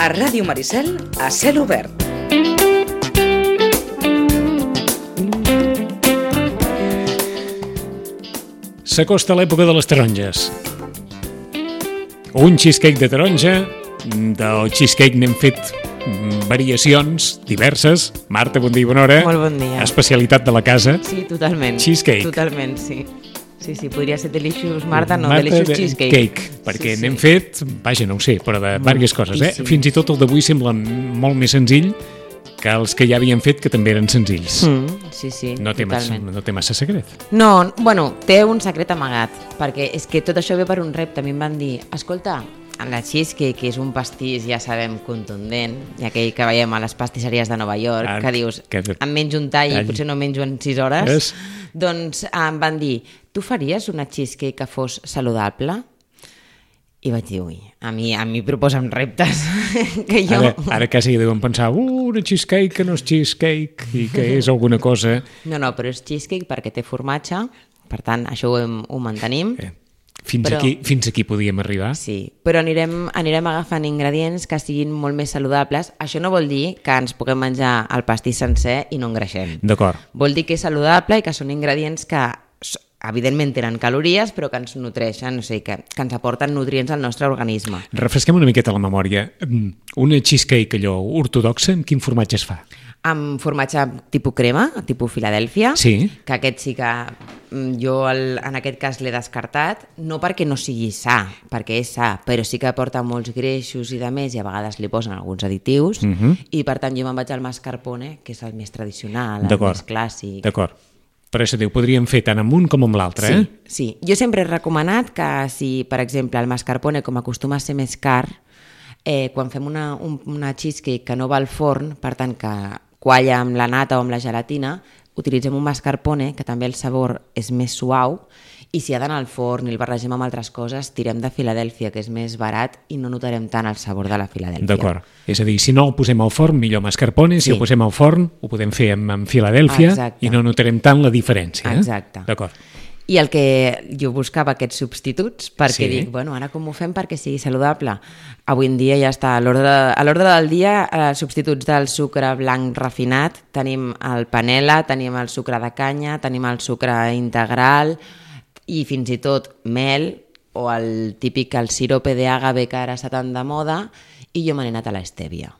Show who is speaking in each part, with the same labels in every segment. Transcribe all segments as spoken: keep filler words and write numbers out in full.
Speaker 1: A Ràdio Maricel, a cel obert.
Speaker 2: S'acosta l'època de les taronges. Un cheesecake de taronja. Del cheesecake n'hem fet variacions diverses. Marta, bon dia i bona hora.
Speaker 3: Molt bon dia.
Speaker 2: Especialitat de la casa.
Speaker 3: Sí, totalment.
Speaker 2: Cheesecake.
Speaker 3: Totalment, sí. Sí, sí, podria ser Delicious Marta, no,
Speaker 2: Marta
Speaker 3: Delicious
Speaker 2: de
Speaker 3: Cheesecake.
Speaker 2: Cake, perquè
Speaker 3: sí,
Speaker 2: n'hem
Speaker 3: sí.
Speaker 2: fet, vaja, no ho sé, però de diverses coses, eh? Fins i tot el d'avui sembla molt més senzill que els que ja havien fet, que també eren senzills.
Speaker 3: Mm, sí, sí,
Speaker 2: no té massa,
Speaker 3: totalment.
Speaker 2: no té massa secret.
Speaker 3: No, bueno, té un secret amagat, perquè és que tot això ve per un repte. A mi em van dir, escolta, la cheesecake, que és un pastís, ja sabem, contundent, i aquell que veiem a les pastisseries de Nova York,
Speaker 2: Ah,
Speaker 3: que dius,
Speaker 2: que-
Speaker 3: em menjo un tall i
Speaker 2: tall.
Speaker 3: potser no menjo en sis hores,
Speaker 2: És.
Speaker 3: doncs em van dir, tu faries una cheesecake que fos saludable? I vaig dir, ui, a mi, a mi proposen reptes que jo...
Speaker 2: Ara, ara quasi deuen pensar, uh, una cheesecake que no és cheesecake i que és alguna cosa...
Speaker 3: No, no, però és cheesecake perquè té formatge, per tant, això ho, hem, ho mantenim.
Speaker 2: Eh, fins,
Speaker 3: Però-
Speaker 2: aquí, fins aquí podíem arribar.
Speaker 3: Sí, però anirem, anirem agafant ingredients que siguin molt més saludables. Això no vol dir que ens puguem menjar el pastís sencer i no engreixem.
Speaker 2: D'acord.
Speaker 3: Vol dir que és saludable i que són ingredients que s- evidentment tenen calories, però que ens nutreixen, o sigui, que, que ens aporten nutrients al nostre organisme.
Speaker 2: Refresquem una miqueta la memòria. Una cheesecake allò ortodoxa, amb quin formatge es fa?
Speaker 3: Amb formatge tipus crema, tipus Filadèlfia,
Speaker 2: Sí.
Speaker 3: que aquest sí que mm, jo el, en aquest cas l'he descartat, no perquè no sigui sa, perquè és sa, però sí que aporta molts greixos i de més, i a vegades li posen alguns additius,
Speaker 2: Mhm.
Speaker 3: i per tant jo me'n vaig al mascarpone, que és el més tradicional, el
Speaker 2: D'acord.
Speaker 3: més clàssic.
Speaker 2: D'acord. Per això diu, podríem fer tant amb un com amb l'altre, eh?
Speaker 3: Sí, sí. Jo sempre he recomanat que si, per exemple, el mascarpone, com acostuma a ser més car, eh, quan fem una, un, una cheesecake que no va al forn, per tant que qualla amb la nata o amb la gelatina, utilitzem un mascarpone, que també el sabor és més suau, i si ha d'anar al forn i el barregem amb altres coses, tirem de Filadèlfia, que és més barat, i no notarem tant el sabor de la Filadèlfia.
Speaker 2: D'acord. És a dir, si no el posem al forn, millor mascarpone, si
Speaker 3: Sí.
Speaker 2: el posem al forn, ho podem fer amb, amb Filadèlfia
Speaker 3: Exacte.
Speaker 2: i no notarem tant la diferència. Eh?
Speaker 3: Exacte.
Speaker 2: D'acord.
Speaker 3: I el que jo buscava aquests substituts, perquè
Speaker 2: Sí.
Speaker 3: dic, bueno, ara com ho fem perquè sigui saludable? Avui en dia ja està, a l'ordre a l'ordre del dia, eh, substituts del sucre blanc refinat, tenim el panela, tenim el sucre de canya, tenim el sucre integral i fins i tot mel o el típic, el sirope d'àgave que ara està tan de moda, i jo me n'he anat a l'estèvia,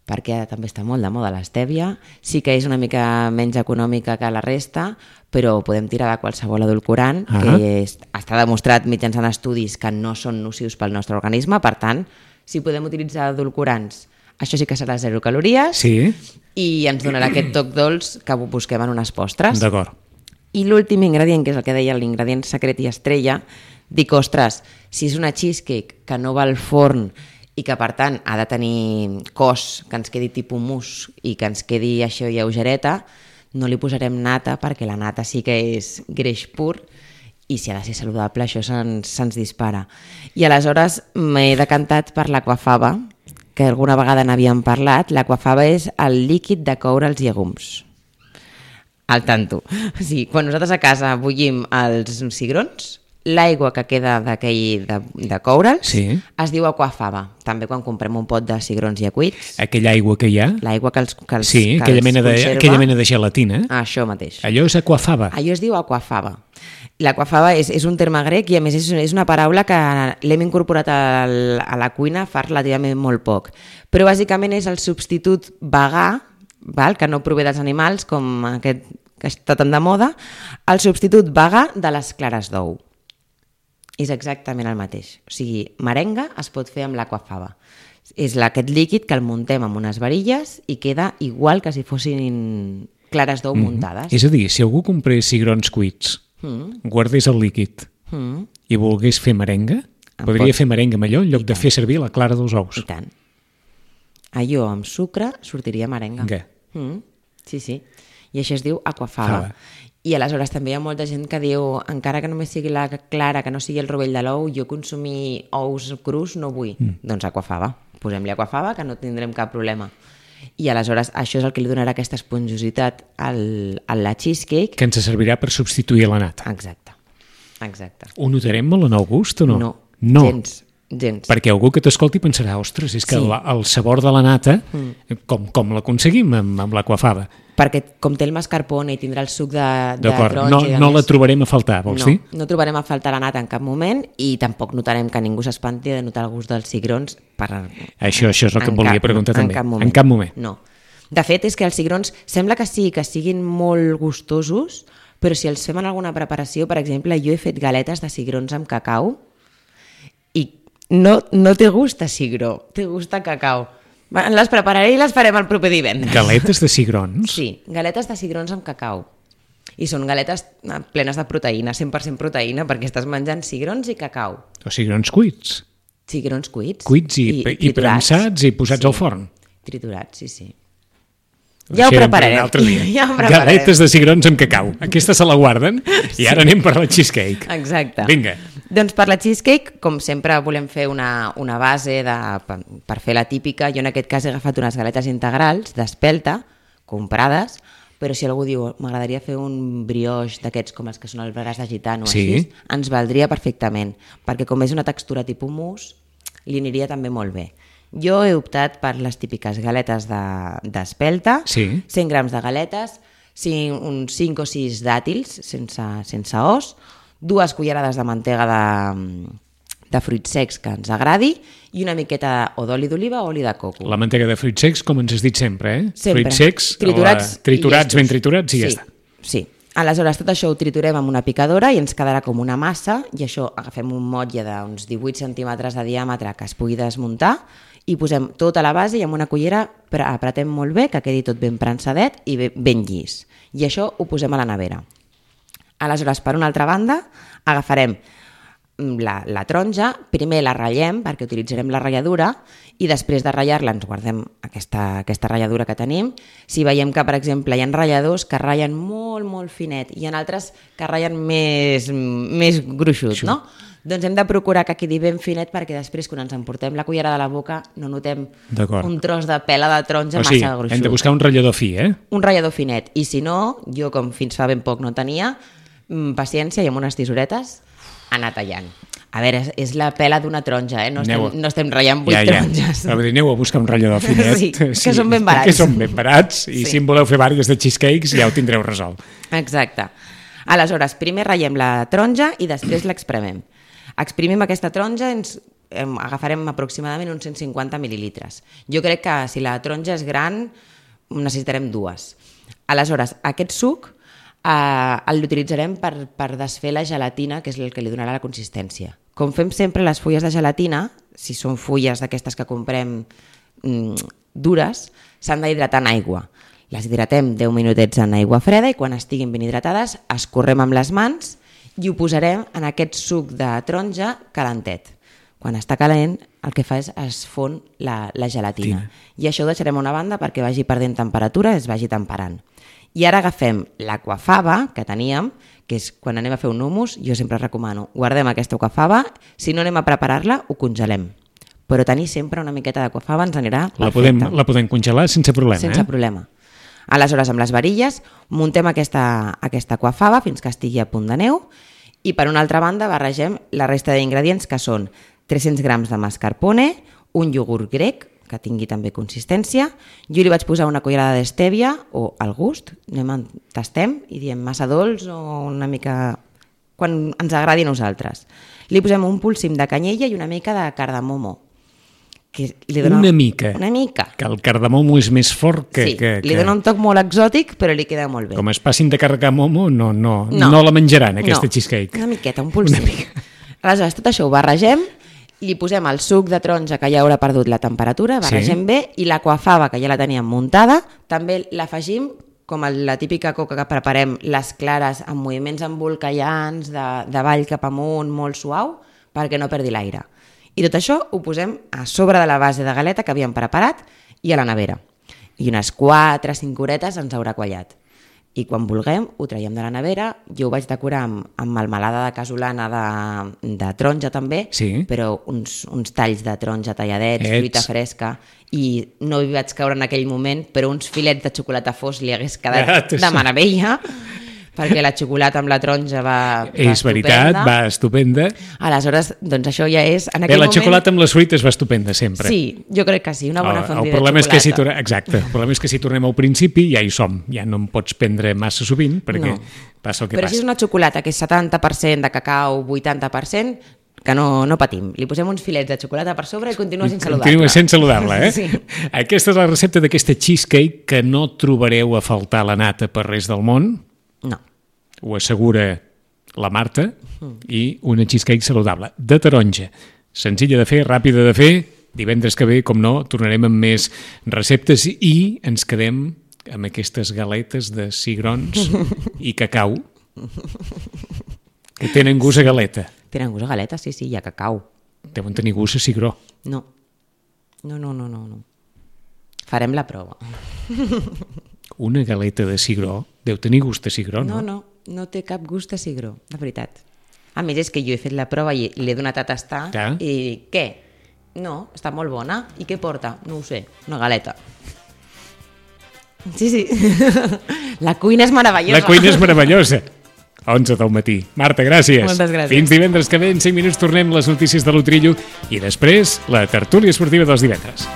Speaker 3: perquè ara també està molt de moda l'estèvia, sí que és una mica menys econòmica que la resta, però podem tirar de qualsevol edulcorant,
Speaker 2: Ah.
Speaker 3: que és, està demostrat mitjançant estudis que no són nocius pel nostre organisme, per tant, si podem utilitzar edulcorants, això sí que serà zero calories,
Speaker 2: Sí,
Speaker 3: i ens donarà aquest toc dolç que busquem en unes postres.
Speaker 2: d'acord.
Speaker 3: I l'últim ingredient, que és el que deia l'ingredient secret i estrella, dic, ostres, si és una cheesecake que no va al forn i que, per tant, ha de tenir cos que ens quedi tipus mousse i que ens quedi això lleugereta, no li posarem nata, perquè la nata sí que és greix pur, i si ha de ser saludable, això se'ns se'ns dispara. I aleshores m'he decantat per l'aquafaba, que alguna vegada n'havíem parlat. L'aquafaba és el líquid de coure els llegums. Al tanto. O sigui, quan nosaltres a casa bullim els cigrons, l'aigua que queda d'aquell de, de coure'ls
Speaker 2: Sí.
Speaker 3: es diu aquafaba. També quan comprem un pot de cigrons ja cuits,
Speaker 2: Aquella aigua que hi ha,
Speaker 3: l'aigua que els, que els,
Speaker 2: sí,
Speaker 3: que
Speaker 2: aquella
Speaker 3: els
Speaker 2: mena, de,
Speaker 3: conserva,
Speaker 2: aquella mena de gelatina,
Speaker 3: això mateix.
Speaker 2: allò és aquafaba.
Speaker 3: Allò es diu aquafaba. L'aquafaba és, és un terme grec i a més és, és una paraula que l'hem incorporat al, a la cuina fa relativament molt poc. Però bàsicament és el substitut vegà, val? Que no prové dels animals, com aquest que està tan de moda, el substitut vegà de les clares d'ou. És exactament el mateix. O sigui, merenga es pot fer amb l'aquafaba. És la- aquest líquid que el muntem amb unes varilles i queda igual que si fossin clares d'ou muntades.
Speaker 2: És a dir, si algú comprés cigrons cuits,
Speaker 3: Mm.
Speaker 2: guardés el líquid
Speaker 3: Mm.
Speaker 2: i volgués fer merenga,
Speaker 3: En
Speaker 2: podria
Speaker 3: pot.
Speaker 2: fer merenga amb allò en lloc de fer servir la clara dels ous.
Speaker 3: I tant. Allò amb sucre sortiria merenga.
Speaker 2: Què?
Speaker 3: Mm. Sí, sí. I això es diu aquafaba.
Speaker 2: Fava.
Speaker 3: I aleshores també hi ha molta gent que diu, encara que només sigui la clara, que no sigui el rovell de l'ou, jo consumir ous crus no vull. Mm. Doncs aquafaba. Posem-li aquafaba, que no tindrem cap problema. I aleshores això és el que li donarà aquesta esponjositat al, a la cheesecake.
Speaker 2: Que ens servirà per substituir la nata.
Speaker 3: Exacte. Exacte.
Speaker 2: Ho notarem molt en el gust o no?
Speaker 3: No,
Speaker 2: no.
Speaker 3: gens. gens.
Speaker 2: Perquè algú que t'escolti pensarà, ostres, és que
Speaker 3: Sí.
Speaker 2: la, el sabor de la nata, mm. com, com l'aconseguim amb, amb l'aquafaba?
Speaker 3: Perquè com té el mascarpone i tindrà el suc de, de
Speaker 2: D'acord,
Speaker 3: taronja...
Speaker 2: no,
Speaker 3: i de
Speaker 2: no
Speaker 3: més,
Speaker 2: la trobarem a faltar, vols
Speaker 3: no,
Speaker 2: dir?
Speaker 3: No trobarem a faltar la nata en cap moment i tampoc notarem que ningú s'espanti de notar el gust dels cigrons per...
Speaker 2: Això, això és el que
Speaker 3: en
Speaker 2: em volia
Speaker 3: cap-
Speaker 2: preguntar
Speaker 3: en
Speaker 2: també.
Speaker 3: Cap moment.
Speaker 2: En cap moment.
Speaker 3: No. De fet, és que els cigrons sembla que sí, que siguin molt gustosos, però si els fem en alguna preparació, per exemple, jo he fet galetes de cigrons amb cacau i no, no té gust a cigró, té gust a cacau. Va, les prepararé i les farem el proper divendres.
Speaker 2: Galetes de cigrons?
Speaker 3: Sí, galetes de cigrons amb cacau. I són galetes eh, plenes de proteïna, cent per cent proteïna, perquè estàs menjant cigrons i cacau.
Speaker 2: O cigrons cuits?
Speaker 3: Cigrons cuits.
Speaker 2: Cuits i, i, i
Speaker 3: triturats.
Speaker 2: premsats i posats
Speaker 3: Sí.
Speaker 2: al forn?
Speaker 3: Triturats, sí, sí. Ja ho
Speaker 2: Deixarem per
Speaker 3: prepararem.
Speaker 2: un altre dia.
Speaker 3: Ja ho prepararem.
Speaker 2: Galetes de cigrons amb cacau. Aquesta se la guarden i ara anem per la cheesecake.
Speaker 3: Exacte.
Speaker 2: Vinga.
Speaker 3: Doncs per la cheesecake, com sempre, volem fer una, una base de, per, per fer la típica. Jo en aquest cas he agafat unes galetes integrals d'espelta, comprades, però si algú diu m'agradaria fer un brioix d'aquests com els que són el braç de gitano,
Speaker 2: Sí.
Speaker 3: així, ens valdria perfectament, perquè com és una textura tipus mousse, li aniria també molt bé. Jo he optat per les típiques galetes d'espelta, de,
Speaker 2: Sí.
Speaker 3: cent grams de galetes, cinc, uns cinc o sis dàtils sense, sense os, dues cullerades de mantega de, de fruits secs que ens agradi i una miqueta o d'oli d'oliva o oli de coco.
Speaker 2: La mantega de fruits secs, com ens has dit sempre, eh?
Speaker 3: Sempre.
Speaker 2: Fruits secs,
Speaker 3: triturats,
Speaker 2: la... triturats
Speaker 3: i
Speaker 2: ben
Speaker 3: llestos.
Speaker 2: triturats i
Speaker 3: sí,
Speaker 2: ja està.
Speaker 3: Sí. Aleshores, tot això ho triturem amb una picadora i ens quedarà com una massa i això agafem un motlle d'uns divuit centímetres de diàmetre que es pugui desmuntar i posem tota la base i amb una cullera apretem molt bé, que quedi tot ben prensadet i ben llis. I això ho posem a la nevera. Aleshores, per una altra banda, agafarem la, la taronja, primer la ratllem perquè utilitzarem la ratlladura i després de ratllar-la ens guardem aquesta, aquesta ratlladura que tenim. Si veiem que, per exemple, hi ha ratlladors que ratllen molt, molt finet i hi ha altres que ratllen més, més gruixut, no? Doncs hem de procurar que quedi ben finet perquè després, quan ens emportem la cullera de la boca, no notem un tros de pela de taronja
Speaker 2: o sigui,
Speaker 3: massa gruixut.
Speaker 2: hem de buscar un ratllador fi, eh?
Speaker 3: Un ratllador finet. I si no, jo com fins fa ben poc no tenia, paciència i amb unes tisoretes anar tallant. A veure, és, és la pela d'una taronja, eh? No estem, no estem ratllant vuit
Speaker 2: ja, ja.
Speaker 3: taronges.
Speaker 2: A veure, aneu a buscar un ratllador finet.
Speaker 3: Sí, que sí, són ben barats.
Speaker 2: Que són ben barats i
Speaker 3: Sí.
Speaker 2: si en voleu fer vàries de cheesecakes ja ho tindreu resolt.
Speaker 3: Exacte. Aleshores, primer ratllem la taronja i després l'expremem. Exprimim aquesta taronja, ens eh, agafarem aproximadament uns cent cinquanta mil·lilitres. Jo crec que si la taronja és gran necessitarem dues. Aleshores, aquest suc eh, l'utilitzarem per, per desfer la gelatina, que és el que li donarà la consistència. Com fem sempre les fulles de gelatina, si són fulles d'aquestes que comprem mm, dures, s'han d'hidratar en aigua. Les hidratem deu minutets en aigua freda i quan estiguin ben hidratades escorrem amb les mans i ho posarem en aquest suc de taronja calentet. Quan està calent, el que fa és es fon la, la gelatina. Tina. I això ho deixarem a una banda perquè vagi perdent temperatura i es vagi temperant. I ara agafem l'aquafaba que teníem, que és quan anem a fer un hummus, jo sempre recomano, guardem aquesta aquafaba, si no anem a preparar-la, ho congelem. Però tenir sempre una miqueta d'aquafaba ens anirà perfecte.
Speaker 2: La podem, la podem congelar sense problema,
Speaker 3: sense
Speaker 2: eh?
Speaker 3: problema. Aleshores, amb les varilles, muntem aquesta, aquesta aquafaba fins que estigui a punt de neu i per una altra banda barregem la resta d'ingredients que són tres-cents grams de mascarpone, un iogurt grec, que tingui també consistència. Jo li vaig posar una cullerada d'estèvia o al gust, anem a tastem i diem massa dolç o una mica... quan ens agradi a nosaltres. Li posem un polsim de canyella i una mica de cardamomo. Que li dona...
Speaker 2: Una mica.
Speaker 3: Una mica.
Speaker 2: Que el cardamomo és més fort que...
Speaker 3: Sí,
Speaker 2: que, que...
Speaker 3: li dona un toc molt exòtic, però li queda molt bé.
Speaker 2: Com es passin de cardamomo, no, no, no.
Speaker 3: No.
Speaker 2: no la menjaran, aquesta
Speaker 3: no.
Speaker 2: cheesecake.
Speaker 3: Una miqueta, un polsim. Una mica. Aleshores, tot això ho barregem, li posem el suc de taronja que ja haurà perdut la temperatura, barregem sí. bé, i l'aquafaba, que ja la teníem muntada, també l'afegim com la típica coca que preparem, les clares amb moviments embolcallants, de, de avall cap amunt, molt suau, perquè no perdi l'aire. I tot això ho posem a sobre de la base de galeta que havíem preparat i a la nevera. I unes quatre a cinc horetes ens haurà quallat. I quan vulguem ho traiem de la nevera. Jo ho vaig decorar amb, amb melmelada de casolana de, de taronja també,
Speaker 2: sí.
Speaker 3: però uns, uns talls de taronja talladets,
Speaker 2: Ets.
Speaker 3: fruita fresca, i no hi vaig caure en aquell moment, però uns filets de xocolata fos li hagués quedat
Speaker 2: Ja,
Speaker 3: de meravella. perquè la xocolata amb la taronja va, va
Speaker 2: És veritat,
Speaker 3: estupenda.
Speaker 2: va estupenda.
Speaker 3: Aleshores, doncs això ja és... En
Speaker 2: Bé,
Speaker 3: aquell
Speaker 2: la
Speaker 3: moment...
Speaker 2: xocolata amb les fruites va estupenda sempre.
Speaker 3: Sí, jo crec que sí, una bona
Speaker 2: el,
Speaker 3: fondue
Speaker 2: el
Speaker 3: de
Speaker 2: problema
Speaker 3: xocolata.
Speaker 2: és que si tornem, exacte, el problema és que si tornem al principi ja hi som, ja no en pots prendre massa sovint perquè
Speaker 3: No.
Speaker 2: passa el que
Speaker 3: Però
Speaker 2: passa.
Speaker 3: si és una xocolata que és setanta per cent de cacau, vuitanta per cent, que no, no patim. Li posem uns filets de xocolata per sobre i continua sent saludable.
Speaker 2: Continua sent saludable, eh?
Speaker 3: Sí.
Speaker 2: Aquesta és la recepta d'aquesta cheesecake que no trobareu a faltar la nata per res del món,
Speaker 3: No.
Speaker 2: ho assegura la Marta, i una cheesecake saludable, de taronja, senzilla de fer, ràpida de fer. Divendres que ve, com no, tornarem amb més receptes i ens quedem amb aquestes galetes de cigrons i cacau que tenen gust a galeta.
Speaker 3: Tenen gust a galeta? Sí, sí, hi ha cacau.
Speaker 2: Deuen tenir gust a cigró.
Speaker 3: No. No, no, no, no. no. Farem la prova.
Speaker 2: Una galeta de cigró deu tenir gust a cigró, no?
Speaker 3: No, no, no té cap gust a cigró, de veritat. A més, és que jo he fet la prova i l'he donat a tastar
Speaker 2: Ja.
Speaker 3: i què? No, està molt bona. I què porta? No ho sé, una galeta. Sí, sí. La cuina és meravellosa.
Speaker 2: La cuina és meravellosa. onze del matí. Marta, gràcies.
Speaker 3: Moltes gràcies.
Speaker 2: Fins divendres que ve, en cinc minuts tornem les notícies de l'Utrillo i després la tertúlia esportiva dels divendres.